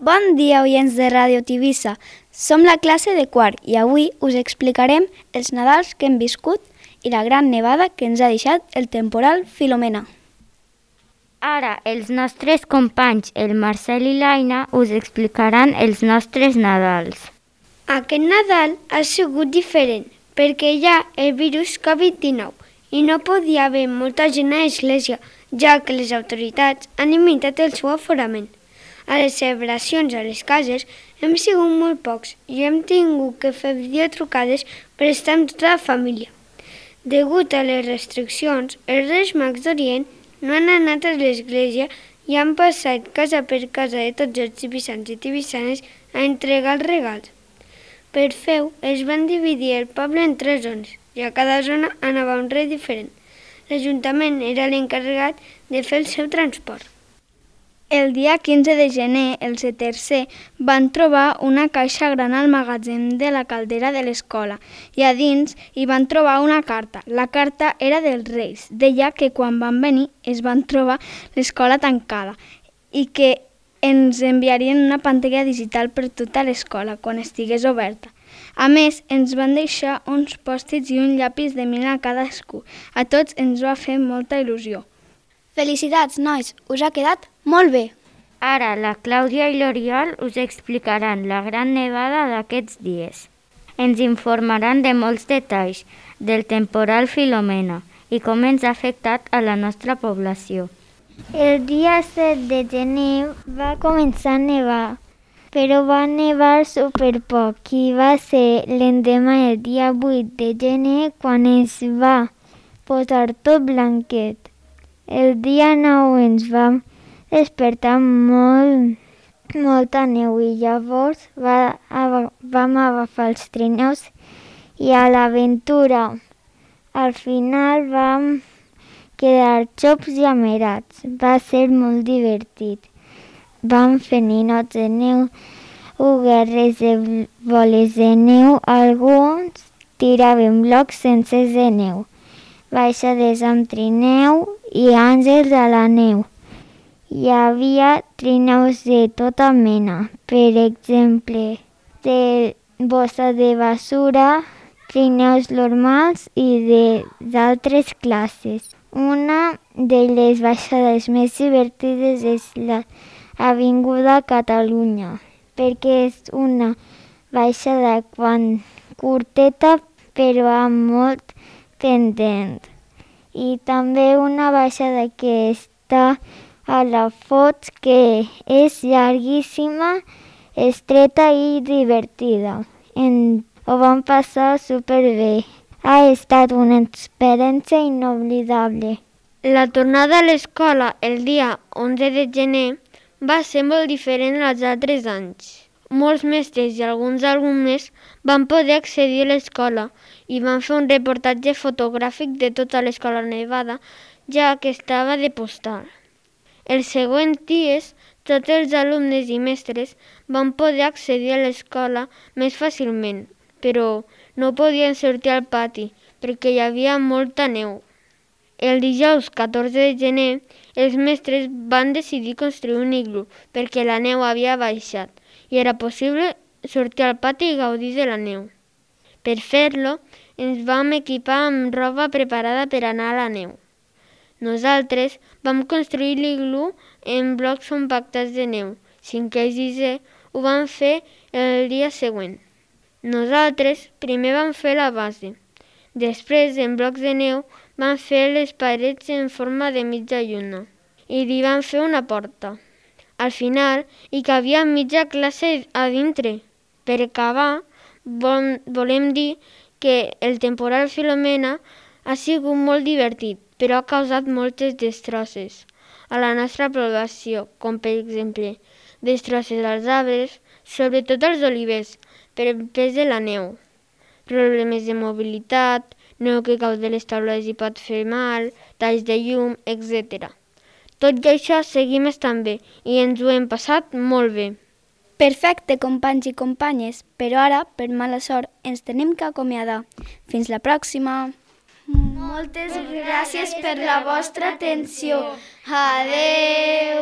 Bon dia, oients de Ràdio Tivissa. Som la classe de quart i avui us explicarem els Nadals que hem viscut i la gran nevada que ens ha deixat el temporal Filomena. Ara els nostres companys, el Marcel i l'Aina, us explicaran els nostres Nadals. Aquest Nadal ha sigut diferent perquè hi ha el virus Covid-19 i no podia haver molta gent a l'església, ja que les autoritats han limitat el seu aforament. A les celebracions a les cases hem sigut molt pocs i hem tingut que fer videotrucades per estar amb tota la família. Degut a les restriccions, els Reis Mags d'Orient no han anat a l'església i han passat casa per casa de tots els tibissans i tibissanes a entregar els regals. Per fer-ho, es van dividir el poble en 3 zones i a cada zona anava un rei diferent. L'Ajuntament era l'encarregat de fer el seu transport. El dia 15 de gener, els tercer van trobar una caixa gran al magatzem de la caldera de l'escola i a dins hi van trobar una carta. La carta era dels Reis. Deia que quan van venir es van trobar l'escola tancada i que ens enviarien una pantalla digital per tota l'escola quan estigués oberta. A més, ens van deixar uns pòstits i un llapis de mil a cadascú. A tots ens va fer molta il·lusió. Felicitats, nois! Us ha quedat molt bé! Ara la Clàudia i l'Oriol us explicaran la gran nevada d'aquests dies. Ens informaran de molts detalls del temporal Filomena i com ens ha afectat a la nostra població. El dia 7 de gener va començar a nevar, però va nevar superpoc i va ser l'endemà el dia 8 de gener quan es va posar tot blanquet. El dia 9 ens vam despertar molta neu i llavors vam agafar els trineus i a l'aventura. Al final vam quedar xops i amerats. Va ser molt divertit. Vam fer ninots de neu, guerres de boles de neu, alguns tiraven blocs sencers de neu, baixades amb trineu i àngels a la neu. Hi havia trineus de tota mena, per exemple, de bossa de basura, trineus normals i d'altres classes. Una de les baixades més divertides és l'Avinguda Catalunya, perquè és una baixada curteta però amb molt pendent. I també una baixada que està a la Foix, que és llarguíssima, estreta i divertida. Ho vam passar superbé. Ha estat una experiència inoblidable. La tornada a l'escola el dia 11 de gener va ser molt diferent als altres anys. Molts mestres i alguns alumnes van poder accedir a l'escola i van fer un reportatge fotogràfic de tota l'escola nevada, ja que estava de postal. Els següents dies, tots els alumnes i mestres van poder accedir a l'escola més fàcilment, però no podien sortir al pati perquè hi havia molta neu. El dijous 14 de gener, els mestres van decidir construir un iglú perquè la neu havia baixat i era possible sortir al pati i gaudir de la neu. Per fer-lo, ens vam equipar amb roba preparada per anar a la neu. Nosaltres vam construir l'iglú en blocs compactats de neu. 5è i 6è ho vam fer el dia següent. Nosaltres primer vam fer la base. Després, en blocs de neu, vam fer les parets en forma de mitja lluna i hi vam fer una porta. Al final, hi cabia mitja classe a dintre. Per acabar, volem dir que el temporal Filomena ha sigut molt divertit, però ha causat moltes destrosses a la nostra població, com per exemple, destrosses als arbres, sobretot als olivers, per el pes de la neu, problemes de mobilitat, neu que cau de les taules i pot fer mal, talls de llum, etc. Tot i això seguim estant bé i ens ho hem passat molt bé. Perfecte, companys i companyes, però ara, per mala sort, ens tenim que acomiadar. Fins la pròxima! Moltes gràcies per la vostra atenció. Adeu!